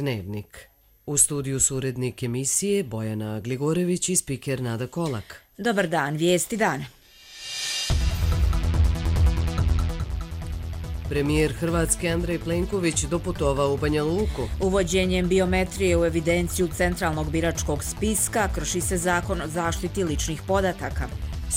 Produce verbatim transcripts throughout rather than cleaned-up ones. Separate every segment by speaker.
Speaker 1: Dnevnik. U studiju su urednik emisije Bojana Gligorević i spiker Nada Kolak.
Speaker 2: Dobar dan, vijesti dana.
Speaker 1: Premijer Hrvatske Andrej Plenković doputovao u Banja Luku.
Speaker 2: Uvođenjem biometrije u evidenciju centralnog biračkog spiska krši se zakon o zaštiti ličnih podataka.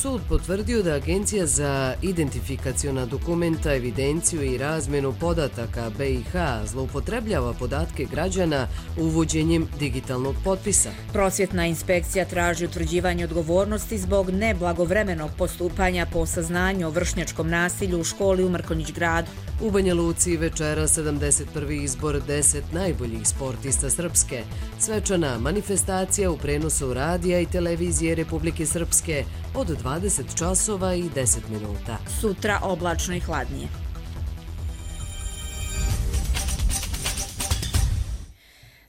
Speaker 1: Sud potvrdio da Agencija za identifikaciona dokumenta, evidenciju i razmjenu podataka B i H zloupotrebljava podatke građana uvođenjem digitalnog potpisa.
Speaker 2: Prosvjetna inspekcija traži utvrđivanje odgovornosti zbog neblagovremenog postupanja po saznanju o vršnjačkom nasilju u školi u Mrkonjić gradu.
Speaker 1: U Banja Luci večera sedamdeset prvi izbor deset najboljih sportista Srpske. Svečana manifestacija u prenosu radija i televizije Republike Srpske od dvadeset časova i deset minuta.
Speaker 2: Sutra oblačno i hladnije.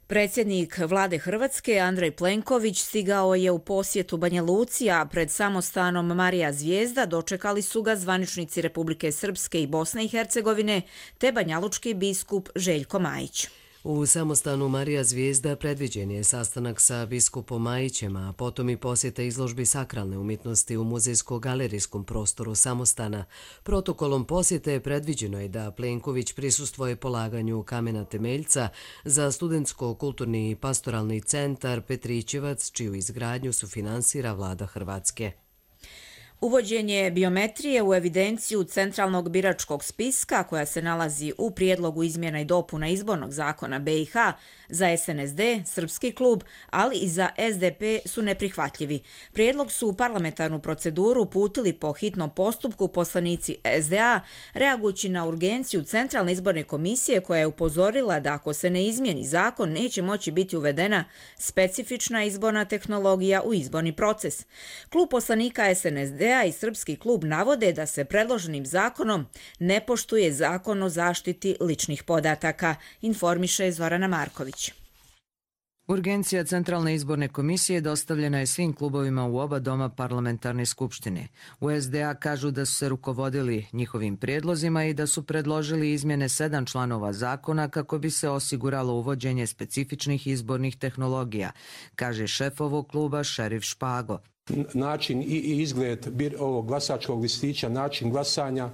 Speaker 2: Predsjednik vlade Hrvatske Andrej Plenković stigao je u posjetu Banja Luci, a pred samostanom Marija Zvijezda dočekali su ga zvaničnici Republike Srpske i Bosne i Hercegovine te banjalučki biskup Željko Majić.
Speaker 1: U samostanu Marija Zvijezda predviđen je sastanak sa biskupom Majićem, a potom i posjeta izložbi sakralne umjetnosti u muzejsko-galerijskom prostoru samostana. Protokolom posjete predviđeno je da Plenković prisustvuje polaganju kamena temeljca za studentsko-kulturni i pastoralni centar Petrićevac, čiju izgradnju sufinansira vlada Hrvatske.
Speaker 2: Uvođenje biometrije u evidenciju centralnog biračkog spiska, koja se nalazi u prijedlogu izmjena i dopuna izbornog zakona B i H, za S N S D, Srpski klub, ali i za S D P su neprihvatljivi. Prijedlog su u parlamentarnu proceduru uputili po hitnom postupku poslanici S D A, reagujući na urgenciju Centralne izborne komisije koja je upozorila da ako se ne izmijeni zakon neće moći biti uvedena specifična izborna tehnologija u izborni proces. Klub poslanika S N S D i Srpski klub navode da se predloženim zakonom ne poštuje zakon o zaštiti ličnih podataka, informiše Zorana Marković.
Speaker 3: Urgencija Centralne izborne komisije dostavljena je svim klubovima u oba doma parlamentarne skupštine. U S D A kažu da su se rukovodili njihovim prijedlozima i da su predložili izmjene sedam članova zakona kako bi se osiguralo uvođenje specifičnih izbornih tehnologija, kaže šef ovog kluba Šerif Špago.
Speaker 4: Način i izgled ovog glasačkog listića, način glasanja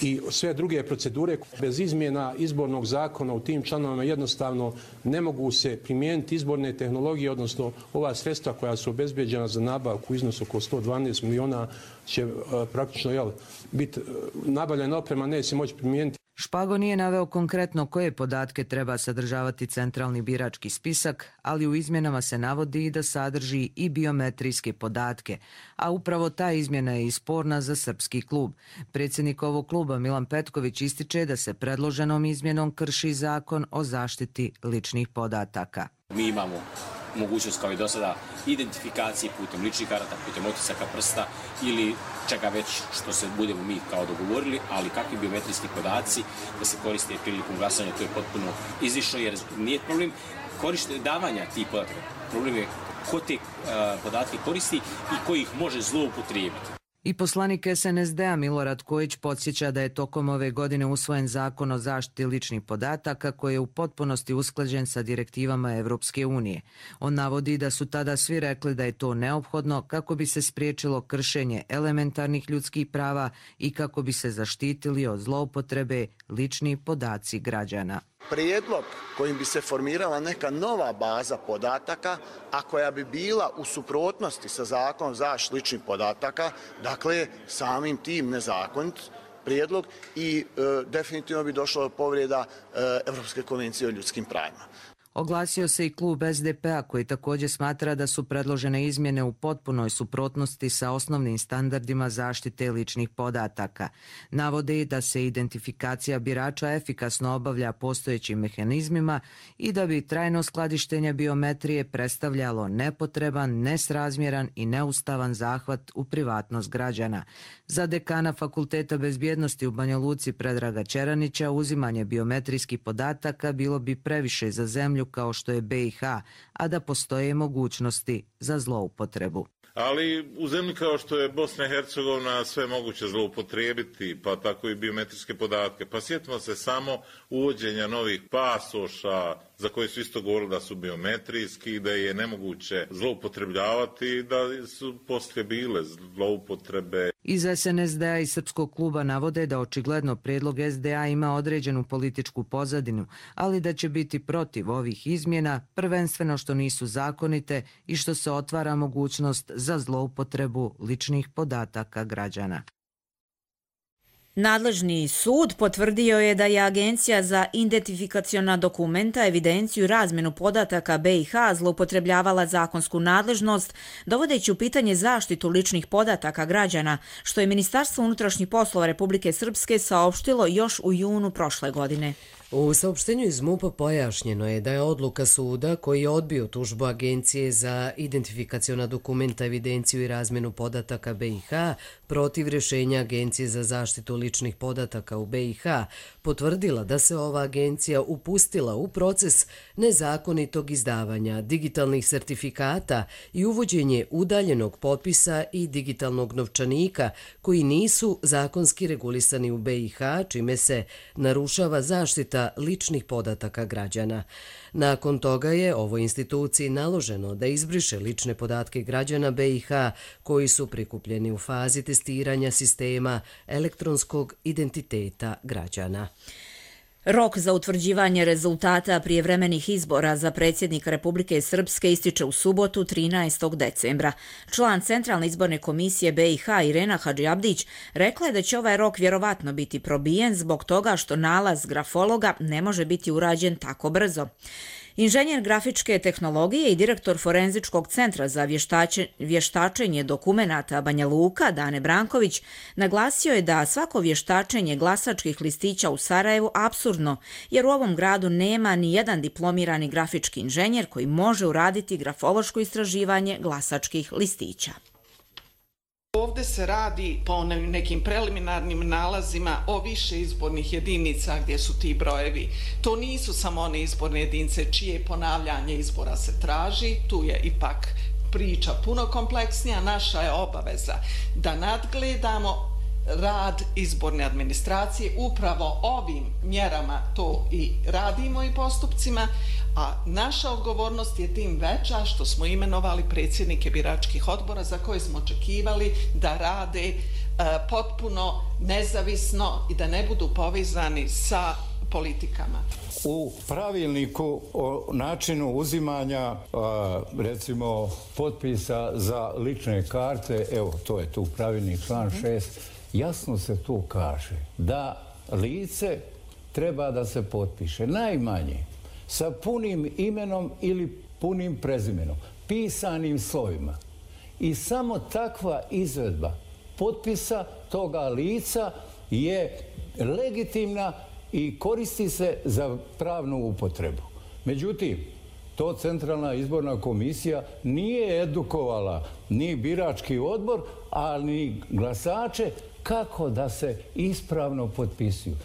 Speaker 4: i sve druge procedure bez izmjena izbornog zakona u tim članovima jednostavno ne mogu se primijeniti izborne tehnologije, odnosno ova sredstva koja su obezbeđena za nabavku u iznosu oko sto dvanaest miliona će praktično jel, biti nabavljena oprema, neće se moći primijeniti.
Speaker 3: Špago nije naveo konkretno koje podatke treba sadržavati centralni birački spisak, ali u izmjenama se navodi i da sadrži i biometrijske podatke, a upravo ta izmjena je i sporna za Srpski klub. Predsjednik ovog kluba Milan Petković ističe da se predloženom izmjenom krši zakon o zaštiti ličnih podataka.
Speaker 5: Mi imamo mogućnost kao i do sada identifikacije putem ličnih karata, putem otisaka prsta ili čega već što se budemo mi kao dogovorili, ali kakvi biometrijski podaci da se koriste prilikom glasanja, to je potpuno izišlo jer nije problem korište davanja tih podataka. Problem je ko te uh, podatke koristi i ko ih može zloupotrijebiti.
Speaker 3: I poslanik S N S D a Milorad Kojić podsjeća da je tokom ove godine usvojen zakon o zaštiti ličnih podataka koji je u potpunosti usklađen sa direktivama Evropske unije. On navodi da su tada svi rekli da je to neophodno kako bi se spriječilo kršenje elementarnih ljudskih prava i kako bi se zaštitili od zloupotrebe lični podaci građana.
Speaker 6: Prijedlog kojim bi se formirala neka nova baza podataka, a koja bi bila u suprotnosti sa zakonom zaštite ličnih podataka, dakle samim tim nezakonit prijedlog i e, definitivno bi došlo do povreda e, Evropske konvencije o ljudskim pravima.
Speaker 3: Oglasio se i klub S D P a koji također smatra da su predložene izmjene u potpunoj suprotnosti sa osnovnim standardima zaštite ličnih podataka. Navode i da se identifikacija birača efikasno obavlja postojećim mehanizmima i da bi trajno skladištenje biometrije predstavljalo nepotreban, nesrazmjeran i neustavan zahvat u privatnost građana. Za dekana Fakulteta bezbjednosti u Banja Luci Predraga Čeranića uzimanje biometrijskih podataka bilo bi previše za zemlju kao što je B i H, a da postoje mogućnosti za zloupotrebu.
Speaker 7: Ali u zemlji kao što je Bosna i Hercegovina sve moguće zloupotrijebiti, pa tako i biometrijske podatke. Pa sjetimo se samo uvođenja novih pasoša, za koje su isto govorili da su biometrijski, da je nemoguće zloupotrebljavati i da su poslije bile zloupotrebe.
Speaker 3: Iz S N S D-a i Srpskog kluba navode da očigledno prijedlog S D A ima određenu političku pozadinu, ali da će biti protiv ovih izmjena, prvenstveno što nisu zakonite i što se otvara mogućnost za zloupotrebu ličnih podataka građana.
Speaker 2: Nadležni sud potvrdio je da je Agencija za identifikaciona dokumenta, evidenciju i razmjenu podataka B i H zloupotrebljavala zakonsku nadležnost, dovodeći u pitanje zaštitu ličnih podataka građana, što je Ministarstvo unutrašnjih poslova Republike Srpske saopštilo još u junu prošle godine.
Speaker 1: U saopštenju iz MUP-a pojašnjeno je da je odluka suda koji je odbio tužbu Agencije za identifikaciona dokumenta, evidenciju i razmjenu podataka B i H protiv rješenja Agencije za zaštitu ličnih podataka u B i H potvrdila da se ova agencija upustila u proces nezakonitog izdavanja digitalnih sertifikata i uvođenje udaljenog potpisa i digitalnog novčanika koji nisu zakonski regulisani u B i H, čime se narušava zaštita ličnih podataka građana. Nakon toga je ovoj instituciji naloženo da izbriše lične podatke građana B i H koji su prikupljeni u fazi testiranja sistema elektronskog identiteta građana.
Speaker 2: Rok za utvrđivanje rezultata prijevremenih izbora za predsjednika Republike Srpske ističe u subotu trinaestog decembra. Član Centralne izborne komisije B i H Irena Hadžiabdić rekla je da će ovaj rok vjerovatno biti probijen zbog toga što nalaz grafologa ne može biti urađen tako brzo. Inženjer grafičke tehnologije i direktor Forenzičkog centra za vještačenje dokumenata Banja Luka, Dane Branković, naglasio je da svako vještačenje glasačkih listića u Sarajevu apsurdno, jer u ovom gradu nema ni jedan diplomirani grafički inženjer koji može uraditi grafološko istraživanje glasačkih listića.
Speaker 8: Ovdje se radi po nekim preliminarnim nalazima o više izbornih jedinica gdje su ti brojevi. To nisu samo one izborne jedinice čije ponavljanje izbora se traži, tu je ipak priča puno kompleksnija. Naša je obaveza da nadgledamo rad izborne administracije, upravo ovim mjerama to i radimo i postupcima, a naša odgovornost je tim veća što smo imenovali predsjednike biračkih odbora za koje smo očekivali da rade e, potpuno nezavisno i da ne budu povezani sa politikama.
Speaker 9: U pravilniku o načinu uzimanja recimo potpisa za lične karte, evo to je tu pravilnik član šest, jasno se tu kaže da lice treba da se potpiše najmanje sa punim imenom ili punim prezimenom, pisanim slovima. I samo takva izvedba potpisa toga lica je legitimna i koristi se za pravnu upotrebu. Međutim, to Centralna izborna komisija nije edukovala ni birački odbor, ali ni glasače kako da se ispravno potpisuju.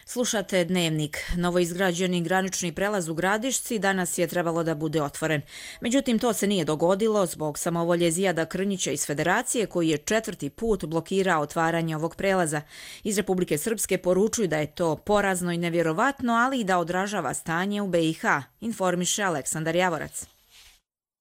Speaker 2: Slušate Dnevnik. Novoizgrađeni granični prelaz u Gradišci danas je trebalo da bude otvoren. Međutim, to se nije dogodilo zbog samovolje Zijada Krnjića iz Federacije koji je četvrti put blokirao otvaranje ovog prelaza. Iz Republike Srpske poručuju da je to porazno i nevjerovatno, ali i da odražava stanje u B i H, informiše Aleksandar Javorac.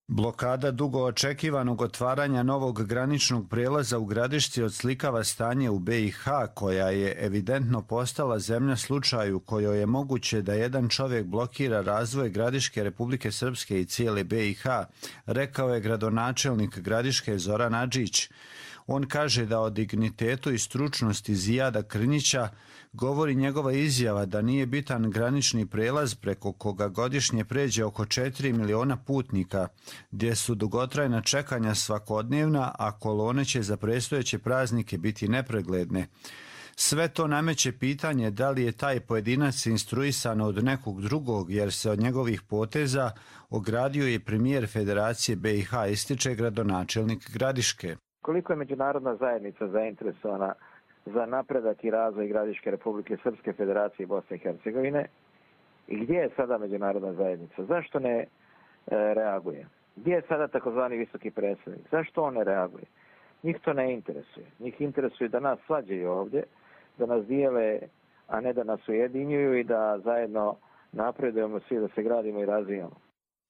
Speaker 10: Blokada dugo očekivanog otvaranja novog graničnog prijelaza u Gradišci odslikava stanje u B i H, koja je evidentno postala zemlja slučaju kojoj je moguće da jedan čovjek blokira razvoj Gradiške Republike Srpske i cijele B i H, rekao je gradonačelnik Gradiške Zoran Adžić. On kaže da o dignitetu i stručnosti Zijada Krnjića govori njegova izjava da nije bitan granični prelaz preko koga godišnje pređe oko četiri miliona putnika, gdje su dugotrajna čekanja svakodnevna, a kolone će za predstojeće praznike biti nepregledne. Sve to nameće pitanje da li je taj pojedinac instruisan od nekog drugog, jer se od njegovih poteza ogradio i premijer Federacije B i H, ističe gradonačelnik Gradiške.
Speaker 11: Koliko je međunarodna zajednica zainteresovana za napredak i razvoj Gradiške Republike Srpske, Federacije i Bosne i Hercegovine? I gdje je sada međunarodna zajednica? Zašto ne e, reaguje? Gdje je sada takozvani visoki predstavnik? Zašto on ne reaguje? Njih to ne interesuje. Njih interesuje da nas svađaju ovdje, da nas dijele, a ne da nas ujedinjuju i da zajedno napredujemo svi, da se gradimo i razvijamo.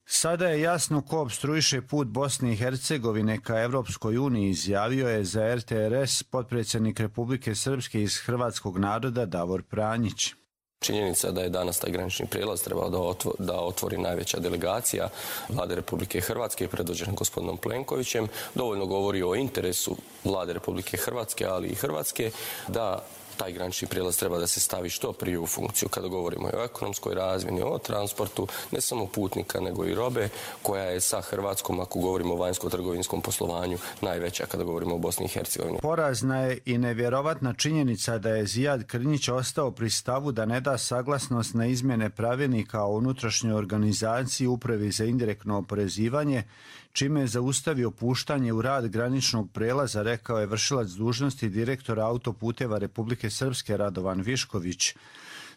Speaker 10: Sada je jasno ko opstruiše put Bosne i Hercegovine ka Evropskoj uniji, izjavio je za R T R S potpredsjednik Republike Srpske iz hrvatskog naroda Davor Pranjić.
Speaker 12: Činjenica da je danas taj granični prijelaz trebao da, otvo, da otvori najveća delegacija Vlade Republike Hrvatske predvođena gospodinom Plenkovićem dovoljno govori o interesu Vlade Republike Hrvatske, ali i Hrvatske, da taj granični prijelaz treba da se stavi što prije u funkciju kada govorimo o ekonomskoj razmjeni, o transportu, ne samo putnika nego i robe, koja je sa Hrvatskom, ako govorimo o vanjsko-trgovinskom poslovanju, najveća kada govorimo o Bosni i Hercegovini.
Speaker 10: Porazna je i nevjerovatna činjenica da je Zijad Krnjić ostao pri stavu da ne da saglasnost na izmjene pravilnika o unutrašnjoj organizaciji Upravi za indirektno oporezivanje, čime je zaustavio puštanje u rad graničnog prelaza, rekao je vršilac dužnosti direktora autoputeva Republike Srpske Radovan Višković.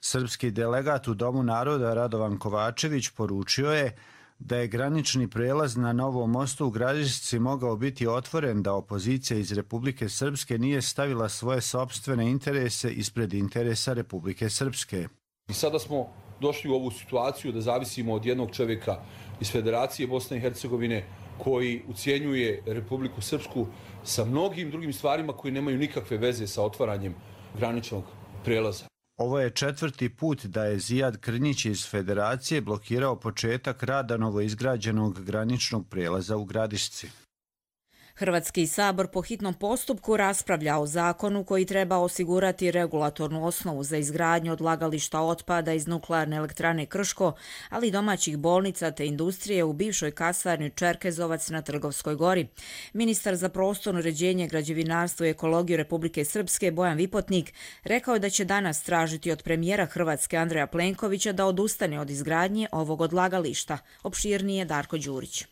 Speaker 10: Srpski delegat u Domu naroda Radovan Kovačević poručio je da je granični prelaz na Novom mostu u Gradišci mogao biti otvoren da opozicija iz Republike Srpske nije stavila svoje sopstvene interese ispred interesa Republike Srpske.
Speaker 13: I sada smo došli u ovu situaciju da zavisimo od jednog čovjeka iz Federacije Bosne i Hercegovine koji ucijenjuje Republiku Srpsku sa mnogim drugim stvarima koji nemaju nikakve veze sa otvaranjem graničnog prelaza.
Speaker 10: Ovo je četvrti put da je Zijad Krnjić iz Federacije blokirao početak rada novoizgrađenog graničnog prelaza u Gradišci.
Speaker 2: Hrvatski sabor po hitnom postupku raspravlja o zakonu koji treba osigurati regulatornu osnovu za izgradnju odlagališta otpada iz nuklearne elektrane Krško, ali i domaćih bolnica te industrije u bivšoj kasarni Čerkezovac na Trgovskoj gori. Ministar za prostorno uređenje, građevinarstvo i ekologiju Republike Srpske Bojan Vipotnik rekao je da će danas tražiti od premijera Hrvatske Andreja Plenkovića da odustane od izgradnje ovog odlagališta. Opširnije Darko Đurić.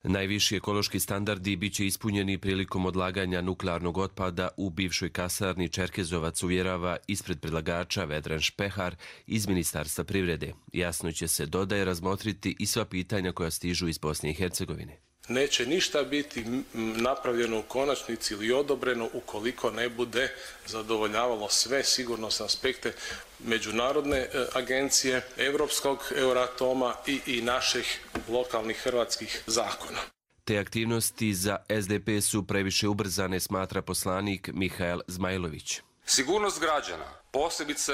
Speaker 14: Najviši ekološki standardi biće ispunjeni prilikom odlaganja nuklearnog otpada u bivšoj kasarni Čerkezovac, uvjerava ispred predlagača Vedran Špehar iz Ministarstva privrede. Jasno će se, dodaje, razmotriti i sva pitanja koja stižu iz Bosne i Hercegovine.
Speaker 15: Neće ništa biti napravljeno u konačnici ili odobreno ukoliko ne bude zadovoljavalo sve sigurnosne aspekte međunarodne agencije, Evropskog Euratoma i, i naših lokalnih hrvatskih zakona.
Speaker 14: Te aktivnosti za S D P su previše ubrzane, smatra poslanik Mihael Zmajlović.
Speaker 16: Sigurnost građana, posebice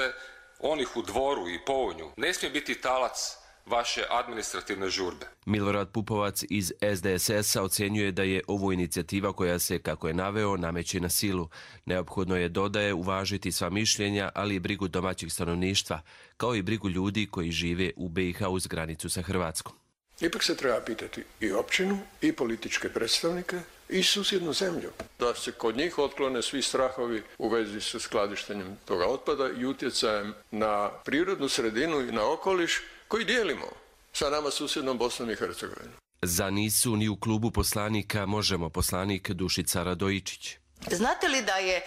Speaker 16: onih u Dvoru i Pounju, ne smije biti talac vaše administrativne žurbe.
Speaker 14: Milorad Pupovac iz S D S S-a ocjenjuje da je ovo inicijativa koja se, kako je naveo, nameće na silu. Neophodno je, dodaje, uvažiti sva mišljenja, ali i brigu domaćih stanovništva, kao i brigu ljudi koji žive u B i H uz granicu sa Hrvatskom.
Speaker 17: Ipak se treba pitati i općinu, i političke predstavnike, i susjednu zemlju. Da se kod njih otklone svi strahovi u vezi sa skladištenjem toga otpada i utjecajem na prirodnu sredinu i na okoliš koji dijelimo sa nama susjednom Bosnom i Hercegovinom.
Speaker 14: Za nisu ni u klubu poslanika Možemo poslanik Dušica Radojičić.
Speaker 18: Znate li da je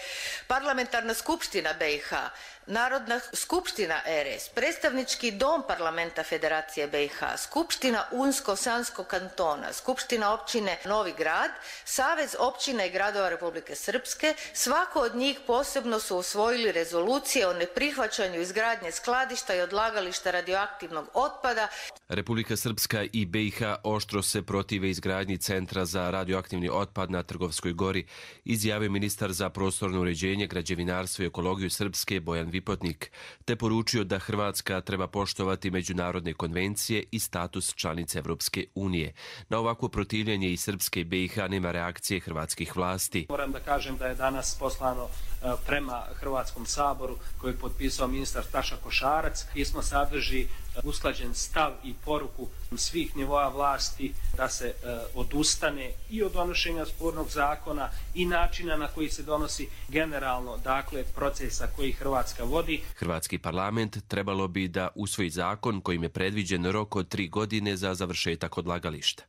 Speaker 18: Parlamentarna skupština B i H, Narodna skupština R S, predstavnički dom parlamenta Federacije B i H, Skupština Unsko-Sanskog kantona, Skupština općine Novi Grad, Savez općina i gradova Republike Srpske, svako od njih posebno su usvojili rezolucije o neprihvaćanju izgradnje skladišta i odlagališta radioaktivnog otpada.
Speaker 14: Republika Srpska i B i H oštro se protive izgradnji centra za radioaktivni otpad na Trgovskoj gori, izjavio ministar za prostorno uređenje, građevinarstvo i ekologiju Srpske Bojan Vipotnik, te poručio da Hrvatska treba poštovati međunarodne konvencije i status članice Evropske unije. Na ovako protivljenje i Srpske i B i H nema reakcije hrvatskih vlasti.
Speaker 19: Moram da kažem da je danas poslano prema Hrvatskom saboru koji je potpisao ministar Staša Košarac. Pismo sadrži usklađen stav i poruku svih nivoa vlasti da se odustane i od donošenja spornog zakona i načina na koji se donosi generalno, dakle, procesa koji Hrvatska vodi.
Speaker 14: Hrvatski parlament trebalo bi da usvoji zakon kojim je predviđen rok od tri godine za završetak odlagališta.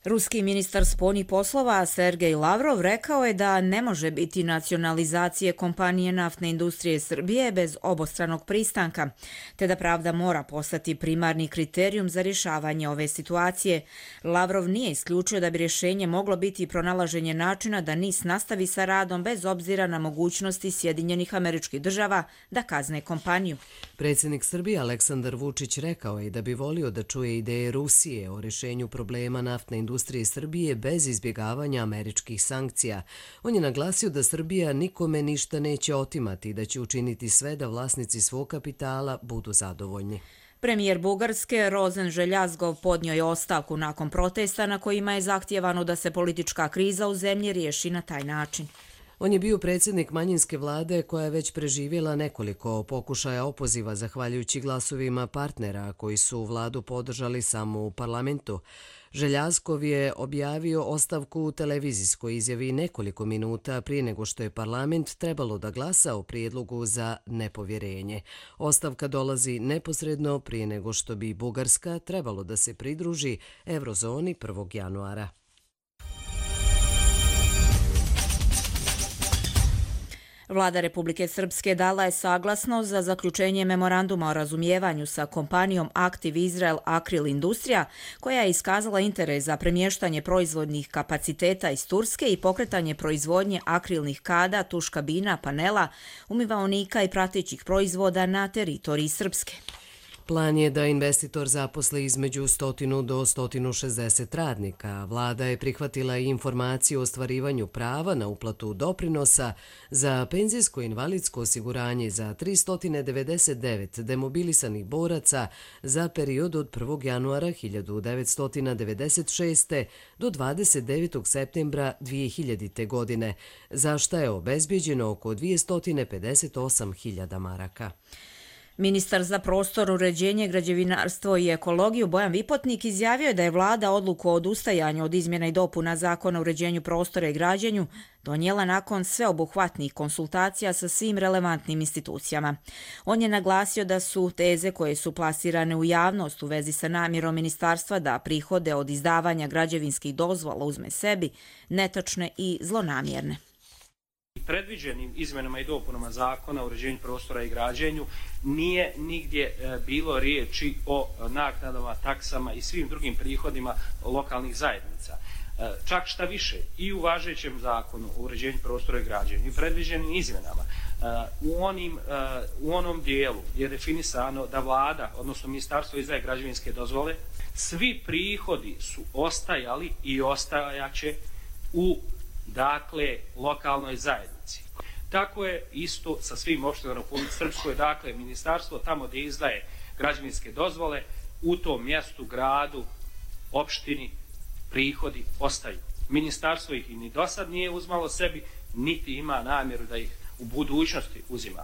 Speaker 2: Ruski ministar spoljnih poslova Sergej Lavrov rekao je da ne može biti nacionalizacije kompanije naftne industrije Srbije bez obostranog pristanka, te da pravda mora postati primarni kriterijum za rješavanje ove situacije. Lavrov nije isključio da bi rješenje moglo biti pronalaženje načina da N I S nastavi sa radom bez obzira na mogućnosti Sjedinjenih Američkih Država da kazne kompaniju.
Speaker 1: Predsjednik Srbije Aleksandar Vučić rekao je da bi volio da čuje ideje Rusije o rješenju problema naftne industrije industrije Srbije bez izbjegavanja američkih sankcija. On je naglasio da Srbija nikome ništa neće otimati i da će učiniti sve da vlasnici svog kapitala budu zadovoljni.
Speaker 2: Premijer Bugarske Rozen Željazgov podnio je ostavku nakon protesta na kojima je zahtijevano da se politička kriza u zemlji riješi na taj način.
Speaker 1: On je bio predsjednik manjinske vlade koja je već preživjela nekoliko pokušaja opoziva zahvaljujući glasovima partnera koji su vladu podržali samo u parlamentu. Željazkov je objavio ostavku u televizijskoj izjavi nekoliko minuta prije nego što je parlament trebalo da glasa o prijedlogu za nepovjerenje. Ostavka dolazi neposredno prije nego što bi Bugarska trebalo da se pridruži Eurozoni prvog januara.
Speaker 2: Vlada Republike Srpske dala je saglasnost za zaključenje memoranduma o razumijevanju sa kompanijom Active Israel Akril Industrija, koja je iskazala interes za premještanje proizvodnih kapaciteta iz Turske i pokretanje proizvodnje akrilnih kada, tuš kabina, panela, umivaonika i pratećih proizvoda na teritoriji Srpske.
Speaker 1: Plan je da investitor zaposli između sto do sto šezdeset radnika. Vlada je prihvatila i informaciju o ostvarivanju prava na uplatu doprinosa za penzijsko i invalidsko osiguranje za tristo devedeset devet demobilisanih boraca za period od prvog januara hiljadu devetsto devedeset šeste. do dvadeset devetog septembra dvije hiljadite. godine, za šta je obezbijeđeno oko dvjesto pedeset osam hiljada maraka.
Speaker 2: Ministar za prostor, uređenje, građevinarstvo i ekologiju Bojan Vipotnik izjavio je da je vlada odluku o odustajanju od izmjena i dopuna Zakona o uređenju prostora i građenju donijela nakon sveobuhvatnih konsultacija sa svim relevantnim institucijama. On je naglasio da su teze koje su plasirane u javnost u vezi sa namjerom ministarstva da prihode od izdavanja građevinskih dozvola uzme sebi netačne i zlonamjerne.
Speaker 19: Predviđenim izmenama i dopunama Zakona o uređenju prostora i građenju nije nigdje bilo riječi o naknadama, taksama i svim drugim prihodima lokalnih zajednica. Čak šta više, i u važećem Zakonu o uređenju prostora i građenju i predviđenim izmenama u, onim, u onom dijelu je definisano da vlada, odnosno ministarstvo izdaje građevinske dozvole, svi prihodi su ostajali i ostajaće u dakle lokalnoj zajednici. Tako je isto sa svim opštinama u Republici Srpskoj, dakle ministarstvo tamo gdje izdaje građevinske dozvole, u tom mjestu, gradu, opštini, prihodi ostaju. Ministarstvo ih ni do sad nije uzmalo sebi, niti ima namjeru da ih u budućnosti uzima.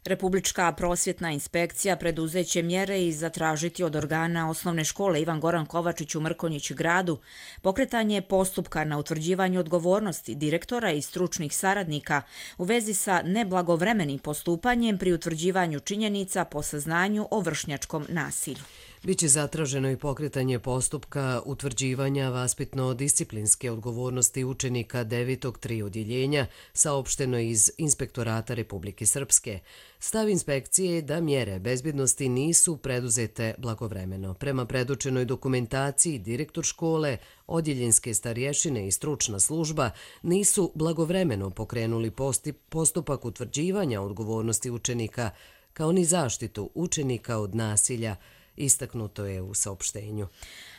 Speaker 2: Republička prosvjetna inspekcija preduzeće mjere i zatražiti od organa osnovne škole Ivan Goran Kovačić u Mrkonjić gradu pokretanje postupka na utvrđivanju odgovornosti direktora i stručnih saradnika u vezi sa neblagovremenim postupanjem pri utvrđivanju činjenica po saznanju o vršnjačkom nasilju.
Speaker 1: Biće zatraženo i pokretanje postupka utvrđivanja vaspitno-disciplinske odgovornosti učenika devetog tri odjeljenja, saopšteno iz Inspektorata Republike Srpske. Stav inspekcije je da mjere bezbjednosti nisu preduzete blagovremeno. Prema predočenoj dokumentaciji, direktor škole, odjeljenske starješine i stručna služba nisu blagovremeno pokrenuli postupak utvrđivanja odgovornosti učenika, kao ni zaštitu učenika od nasilja, istaknuto je u saopštenju.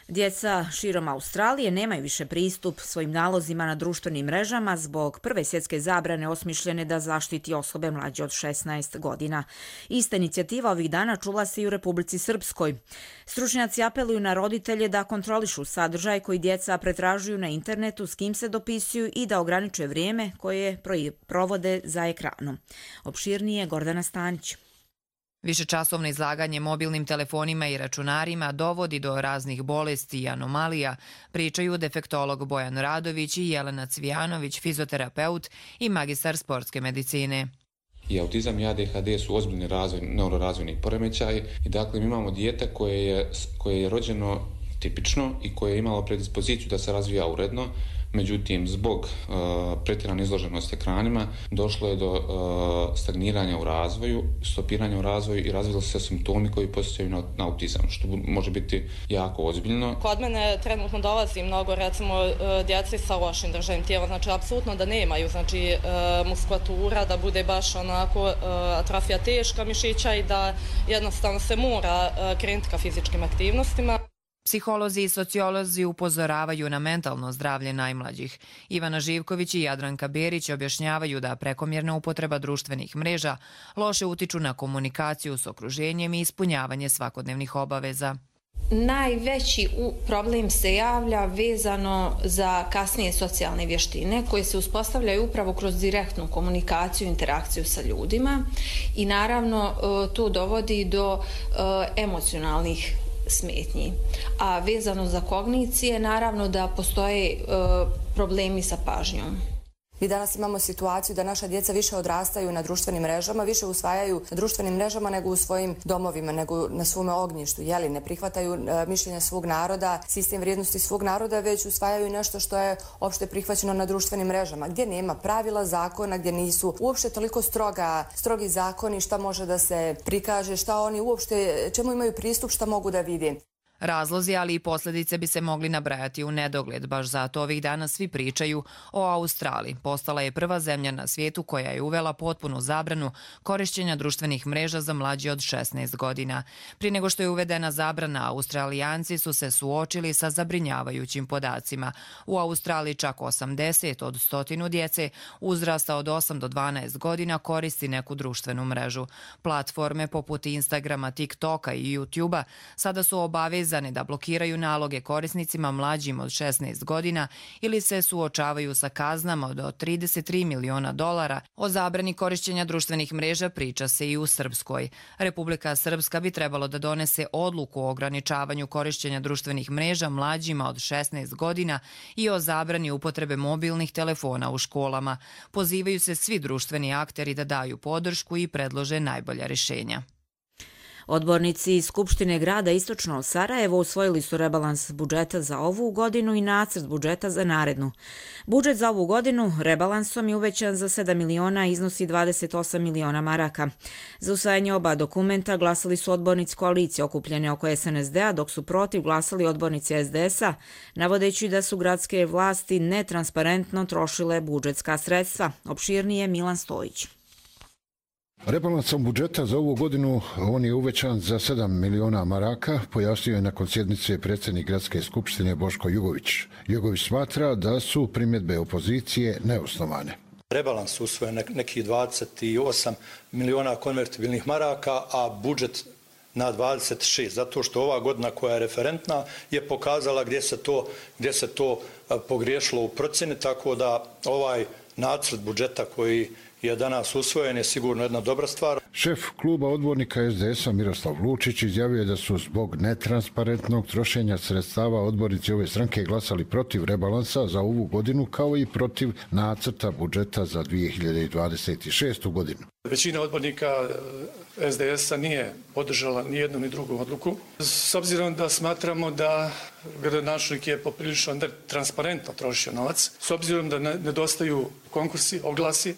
Speaker 2: Djeca širom Australije nemaju više pristup svojim nalozima na društvenim mrežama zbog prve svjetske zabrane osmišljene da zaštiti osobe mlađe od šesnaest godina. Ista inicijativa ovih dana čula se i u Republici Srpskoj. Stručnjaci apeluju na roditelje da kontrolišu sadržaj koji djeca pretražuju na internetu, s kim se dopisuju i da ograniče vrijeme koje provode za ekranom. Opširnije Gordana Stanić.
Speaker 20: Višečasovno izlaganje mobilnim telefonima i računarima dovodi do raznih bolesti i anomalija, pričaju defektolog Bojan Radović i Jelena Cvijanović, fizioterapeut i magistar sportske medicine.
Speaker 21: I autizam i A D H D su ozbiljni razvoj, neurorazvojni poremećaji i dakle mi imamo dijete koje je, koje je rođeno tipično i koje je imalo predispoziciju da se razvija uredno. Međutim, zbog uh, pretjerane izloženosti ekranima došlo je do uh, stagniranja u razvoju, stopiranja u razvoju i razvili su se simptomi koji posjećaju na, na autizam, što može biti jako ozbiljno.
Speaker 4: Kod mene trenutno dolazi mnogo, recimo, djeci sa lošim držanjem tijela, znači apsolutno da nemaju, znači muskulatura, da bude baš onako atrofija teška mišića i da jednostavno se mora krenuti ka fizičkim aktivnostima.
Speaker 20: Psiholozi i sociolozi upozoravaju na mentalno zdravlje najmlađih. Ivana Živković i Jadranka Berić objašnjavaju da prekomjerna upotreba društvenih mreža loše utiču na komunikaciju s okruženjem i ispunjavanje svakodnevnih obaveza.
Speaker 22: Najveći problem se javlja vezano za kasnije socijalne vještine koje se uspostavljaju upravo kroz direktnu komunikaciju i interakciju sa ljudima i naravno to dovodi do emocionalnih smetnji. A vezano za kognicije, naravno da postoje problemi sa pažnjom.
Speaker 23: Mi danas imamo situaciju da naša djeca više odrastaju na društvenim mrežama, više usvajaju na društvenim mrežama nego u svojim domovima, nego na svome ognjištu. Jeli, ne prihvataju mišljenja svog naroda, sistem vrijednosti svog naroda, već usvajaju nešto što je opšte prihvaćeno na društvenim mrežama, gdje nema pravila, zakona, gdje nisu uopšte toliko stroga, strogi zakoni šta može da se prikaže, šta oni uopšte, čemu imaju pristup, šta mogu da vidi.
Speaker 20: Razlozi, ali i posljedice bi se mogli nabrajati u nedogled. Baš zato ovih dana svi pričaju o Australiji. Postala je prva zemlja na svijetu koja je uvela potpunu zabranu korišćenja društvenih mreža za mlađe od šesnaest godina. Prije nego što je uvedena zabrana, Australijanci su se suočili sa zabrinjavajućim podacima. U Australiji čak osamdeset od stotinu djece uzrasta od osam do dvanaest godina koristi neku društvenu mrežu. Platforme poput Instagrama, TikToka i YouTubea sada su obavezane da blokiraju naloge korisnicima mlađim od šesnaest godina ili se suočavaju sa kaznama do trideset tri miliona dolara. O zabrani korišćenja društvenih mreža priča se i u Srpskoj. Republika Srpska bi trebalo da donese odluku o ograničavanju korišćenja društvenih mreža mlađima od šesnaest godina i o zabrani upotrebe mobilnih telefona u školama. Pozivaju se svi društveni akteri da daju podršku i predlože najbolja rješenja.
Speaker 2: Odbornici iz Skupštine grada Istočno Sarajevo usvojili su rebalans budžeta za ovu godinu i nacrt budžeta za narednu. Budžet za ovu godinu rebalansom je uvećan za sedam miliona i iznosi dvadeset osam miliona maraka. Za usvajanje oba dokumenta glasali su odbornici koalicije okupljene oko S N S D-a, dok su protiv glasali odbornici S D S-a, navodeći da su gradske vlasti netransparentno trošile budžetska sredstva. Opširnije Milan Stojić.
Speaker 24: Rebalansom budžeta za ovu godinu on je uvećan za sedam miliona maraka, pojasnio je nakon sjednice predsjednik Gradske skupštine Boško Jugović. Jugović smatra da su primjedbe opozicije neosnovane.
Speaker 25: Rebalans usvojen nekih dvadeset osam miliona konvertibilnih maraka, a budžet na dvadeset šest, zato što ova godina koja je referentna je pokazala gdje se to, gdje se to pogriješilo u procjeni, tako da ovaj nacrt budžeta koji je danas usvojen je sigurno jedna dobra stvar.
Speaker 24: Šef kluba odbornika S D S-a Miroslav Lučić izjavio da su zbog netransparentnog trošenja sredstava odbornici ove stranke glasali protiv rebalansa za ovu godinu kao i protiv nacrta budžeta za dvije hiljade dvadeset šestu godinu.
Speaker 26: Većina odbornika S D S-a nije podržala ni jednu ni drugu odluku. S obzirom da smatramo da gradonačelnik je poprilično netransparentno trošio novac, s obzirom da nedostaju konkursi, oglasi,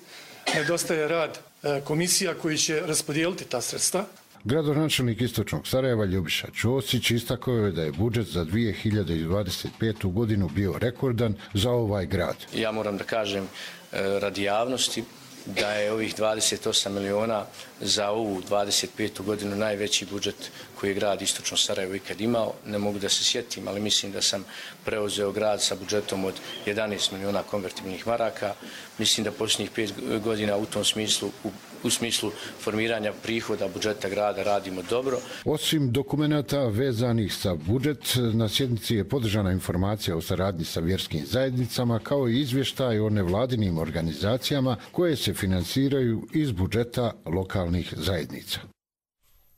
Speaker 26: nedostaje rad komisija koji će raspodijeliti ta sredstva.
Speaker 24: Gradonačelnik Istočnog Sarajeva Ljubiša Ćosić istakao je da je budžet za dvije hiljade dvadeset petu godinu bio rekordan za ovaj grad.
Speaker 27: Ja moram da kažem radi javnosti da je ovih dvadeset osam miliona za ovu dvadeset petu godinu najveći budžet koji je grad Istočno Sarajevo ikad imao. Ne mogu da se sjetim, ali mislim da sam preuzeo grad sa budžetom od jedanaest miliona konvertibilnih maraka. Mislim da posljednjih pet godina u tom smislu, u, u smislu formiranja prihoda budžeta grada radimo dobro.
Speaker 24: Osim dokumenata vezanih sa budžet, na sjednici je podržana informacija o saradnji sa vjerskim zajednicama kao i izvještaj o nevladinim organizacijama koje se finansiraju iz budžeta lokalnih zajednica.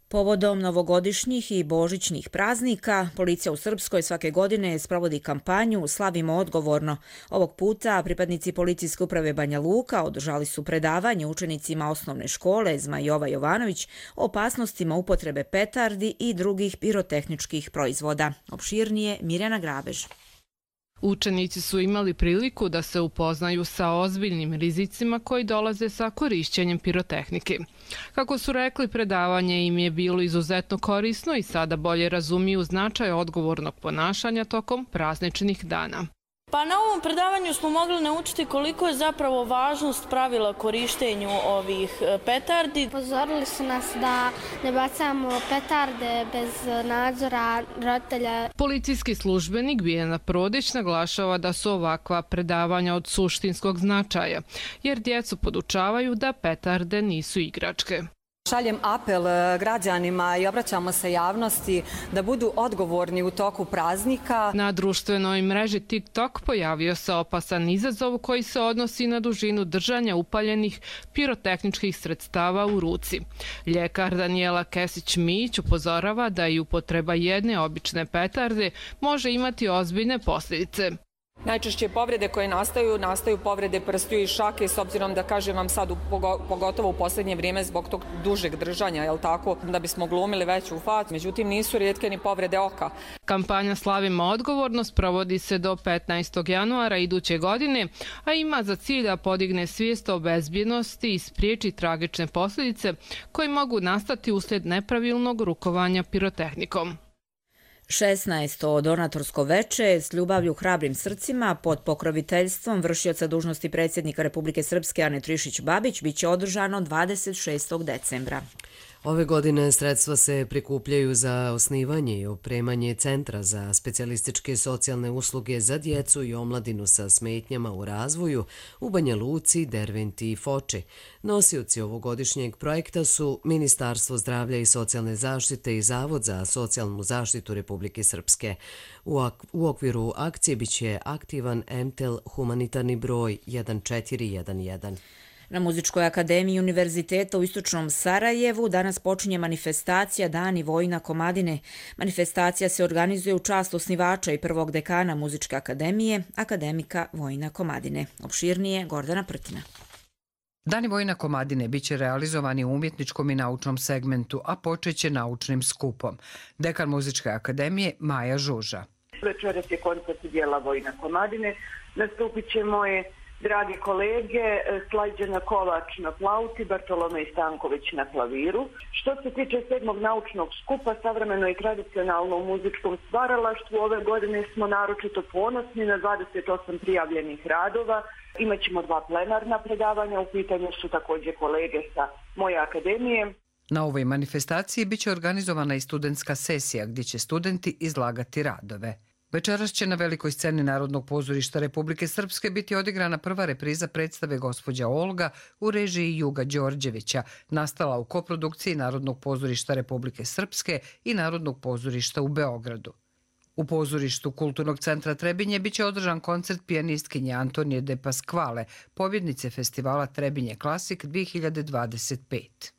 Speaker 2: Povodom novogodišnjih i božićnih praznika, policija u Srpskoj svake godine sprovodi kampanju Slavimo odgovorno. Ovog puta pripadnici policijske uprave Banja Luka održali su predavanje učenicima osnovne škole Zmajova Jovanović o opasnostima upotrebe petardi i drugih pirotehničkih proizvoda. Opširnije Mirjana Grabež.
Speaker 3: Učenici su imali priliku da se upoznaju sa ozbiljnim rizicima koji dolaze sa korišćenjem pirotehnike. Kako su rekli, predavanje im je bilo izuzetno korisno i sada bolje razumiju značaj odgovornog ponašanja tokom prazničnih dana.
Speaker 5: Pa na ovom predavanju smo mogli naučiti koliko je zapravo važnost pravila korištenju ovih petardi.
Speaker 6: Pozorili su nas da ne bacamo petarde bez nadzora roditelja.
Speaker 3: Policijski službenik Biljana Prodić naglašava da su ovakva predavanja od suštinskog značaja, jer djecu podučavaju da petarde nisu igračke.
Speaker 7: Šaljem apel građanima i obraćamo se javnosti da budu odgovorni u toku praznika.
Speaker 3: Na društvenoj mreži TikTok pojavio se opasan izazov koji se odnosi na dužinu držanja upaljenih pirotehničkih sredstava u ruci. Ljekar Danijela Kesić-Mić upozorava da i upotreba jedne obične petarde može imati ozbiljne posljedice.
Speaker 7: Najčešće povrede koje nastaju, nastaju povrede prstiju i šake, s obzirom da kažem vam sad, pogotovo u posljednje vrijeme zbog tog dužeg držanja, jel tako, da bismo glumili veću facu, međutim nisu rijetke ni povrede oka.
Speaker 3: Kampanja Slavimo odgovornost provodi se do petnaestog januara iduće godine, a ima za cilj da podigne svijest o bezbjednosti i spriječi tragične posljedice koje mogu nastati uslijed nepravilnog rukovanja pirotehnikom.
Speaker 2: šesnaesto donatorsko veče s ljubavlju hrabrim srcima pod pokroviteljstvom vršioca dužnosti predsjednika Republike Srpske Ane Trišić-Babić biće održano dvadeset šestog decembra.
Speaker 1: Ove godine sredstva se prikupljaju za osnivanje i opremanje Centra za specijalističke socijalne usluge za djecu i omladinu sa smetnjama u razvoju u Banja Luci, Derventi i Foči. Nosioci ovogodišnjeg projekta su Ministarstvo zdravlja i socijalne zaštite i Zavod za socijalnu zaštitu Republike Srpske. U okviru akcije biće aktivan M T E L humanitarni broj jedan četiri jedan jedan.
Speaker 2: Na Muzičkoj akademiji Univerziteta u Istočnom Sarajevu danas počinje manifestacija Dani Vojina Komadine. Manifestacija se organizuje u čast osnivača i prvog dekana Muzičke akademije, akademika Vojina Komadine. Opširnije Gordana Prtina.
Speaker 8: Dani Vojina Komadine biće realizovani u umjetničkom i naučnom segmentu, a počeće naučnim skupom. Dekan Muzičke akademije Maja Žuža.
Speaker 9: Večeras je koncert dijela Vojina Komadine. Nastupit će moje dragi kolege, Slađana Kovač na flauti, Bartolomej Stanković na klaviru. Što se tiče sedmog naučnog skupa, savremeno i tradicionalno u muzičkom stvaralaštvu, ove godine smo naročito ponosni na dvadeset osam prijavljenih radova. Imaćemo dva plenarna predavanja, u pitanju su također kolege sa moje akademije.
Speaker 8: Na ovoj manifestaciji biće organizovana i studentska sesija gdje će studenti izlagati radove. Večeras će na velikoj sceni Narodnog pozorišta Republike Srpske biti odigrana prva repriza predstave Gospođa Olga u režiji Juga Đorđevića, nastala u koprodukciji Narodnog pozorišta Republike Srpske i Narodnog pozorišta u Beogradu. U pozorištu Kulturnog centra Trebinje biće održan koncert pijanistkinje Antonije de Pasquale, pobjednice festivala Trebinje Klasik dvije hiljade dvadeset pet.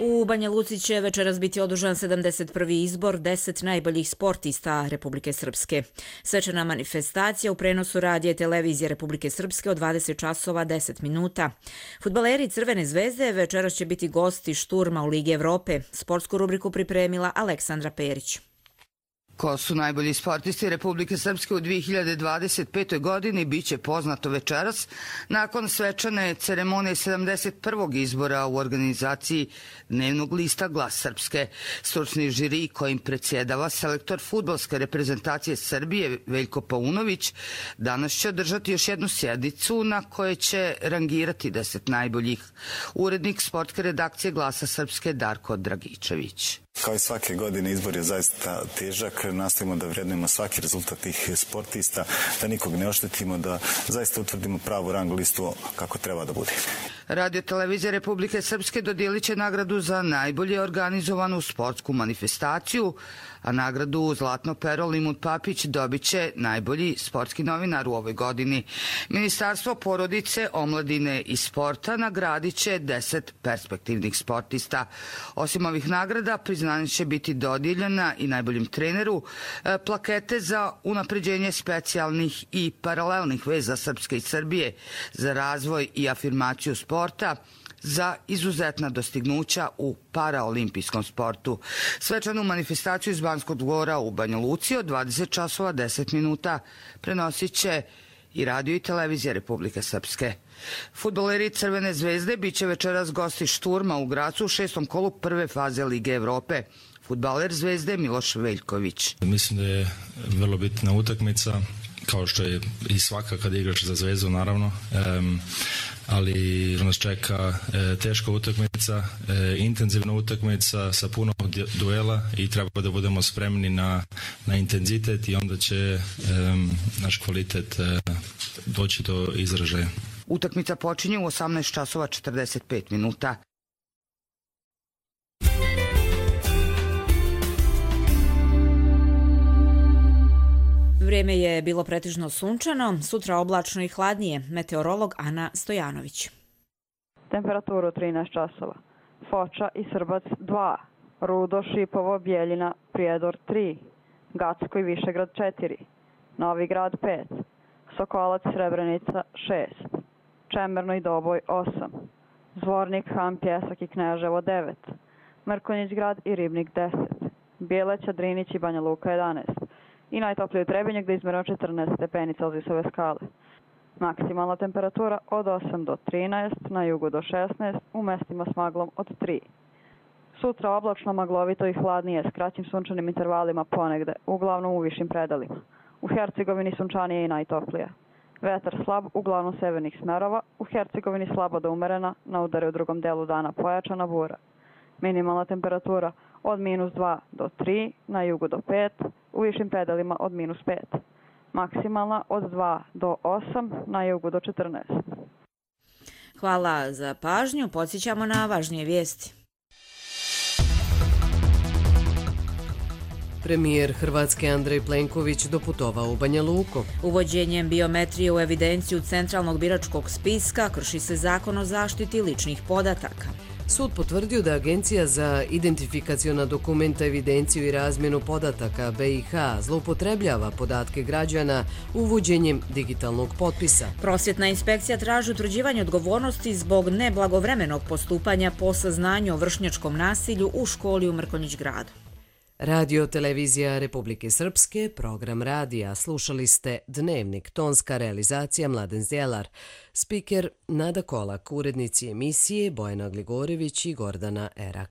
Speaker 2: U Banja Luci će večeras biti održan sedamdeset prvi izbor deset najboljih sportista Republike Srpske. Svečana manifestacija u prenosu radija i televizije Republike Srpske od dvadeset časova deset minuta. Fudbaleri Crvene zvezde večeras će biti gosti šturma u Ligi Evrope. Sportsku rubriku pripremila Aleksandra Perić.
Speaker 11: Ko su najbolji sportisti Republike Srpske u dvije hiljade dvadeset petoj godini biće poznato večeras nakon svečane ceremonije sedamdeset prvog izbora u organizaciji dnevnog lista Glas Srpske. Stručni žiri kojim predsjedava selektor fudbalske reprezentacije Srbije Veljko Paunović danas će održati još jednu sjednicu na kojoj će rangirati deset najboljih. Urednik sportske redakcije Glasa Srpske Darko Dragičević.
Speaker 28: Kao i svake godine izbor je zaista težak, nastavimo da vrednujemo svaki rezultat tih sportista, da nikog ne oštetimo, da zaista utvrdimo pravu rang listu kako treba da bude.
Speaker 11: Radio televizija Republike Srpske dodijelit će nagradu za najbolje organizovanu sportsku manifestaciju, a nagradu Zlatno pero Limut Papić dobit će najbolji sportski novinar u ovoj godini. Ministarstvo porodice, omladine i sporta nagradit će deset perspektivnih sportista. Osim ovih nagrada, priznanje će biti dodijeljena i najboljem treneru, plakete za unapređenje specijalnih i paralelnih veza Srpske i Srbije, za razvoj i afirmaciju sporta, za izuzetna dostignuća u paraolimpijskom sportu. Svečanu manifestaciju iz Banskog dvora u Banja Luci od dvadeset časova deset minuta prenosit će i radio i televizija Republike Srpske. Fudbaleri Crvene zvezde biće večeras gosti Šturma u Gracu u šestom kolu prve faze Lige Evrope. Fudbaler Zvezde Miloš Veljković.
Speaker 10: Mislim da je vrlo bitna utakmica, kao što je i svaka kad igraš za Zvezdu, naravno. Um, ali nas čeka e, teška utakmica, e, intenzivna utakmica sa puno duela i treba da budemo spremni na, na intenzitet i onda će e, naš kvalitet e, doći do izražaja.
Speaker 11: Utakmica počinje u osamnaest časova četrdeset pet minuta.
Speaker 2: Vrijeme je bilo pretežno sunčano, sutra oblačno i hladnije. Meteorolog Ana Stojanović.
Speaker 12: Temperaturu trinaest časova. Foča i Srbac dva, Rudo, Šipovo, Bjeljina, Prijedor tri, Gacko i Višegrad četiri, Novi Grad pet, Sokolac, Srebrenica šest, Čemerno i Doboj osam, Zvornik, Han, Pjesak i Kneževo devet, Mrkonjić Grad i Ribnik deset, Bijeleća, Drinić i Banja Luka jedanaest, i najtoplije u Trebinju gdje je izmjereno četrnaest stepeni Celzijusove skale. Maksimalna temperatura od osam do trinaest, na jugu do šesnaest, u mestima s maglom od tri. Sutra oblačno, maglovito i hladnije s kraćim sunčanim intervalima ponegde, uglavnom u višim predalima. U Hercegovini sunčanije i najtoplije. Vetar slab, uglavnom severnih smerova, u Hercegovini slabo do umerena, na udare u drugom delu dana pojačana bura. Minimalna temperatura od minus dva do tri, na jugu do pet, u višim predalima od minus pet. Maksimalna od dva do osam, na jugu do četrnaest.
Speaker 2: Hvala za pažnju, podsjećamo na važnije vijesti.
Speaker 1: Premijer Hrvatske Andrej Plenković doputovao u Banja Luku.
Speaker 2: Uvođenjem biometrije u evidenciju centralnog biračkog spiska krši se zakon o zaštiti ličnih podataka.
Speaker 1: Sud potvrdio da Agencija za identifikaciona dokumenta, evidenciju i razmjenu podataka B i H zloupotrebljava podatke građana uvođenjem digitalnog potpisa.
Speaker 2: Prosvjetna inspekcija traži utvrđivanje odgovornosti zbog neblagovremenog postupanja po saznanju o vršnjačkom nasilju u školi u Mrkonjić Gradu.
Speaker 1: Radio televizija Republike Srpske, program radija. Slušali ste Dnevnik, tonska realizacija Mladen Zdjelar, spiker Nada Kolak, urednici emisije Bojana Gligorević i Gordana Erak.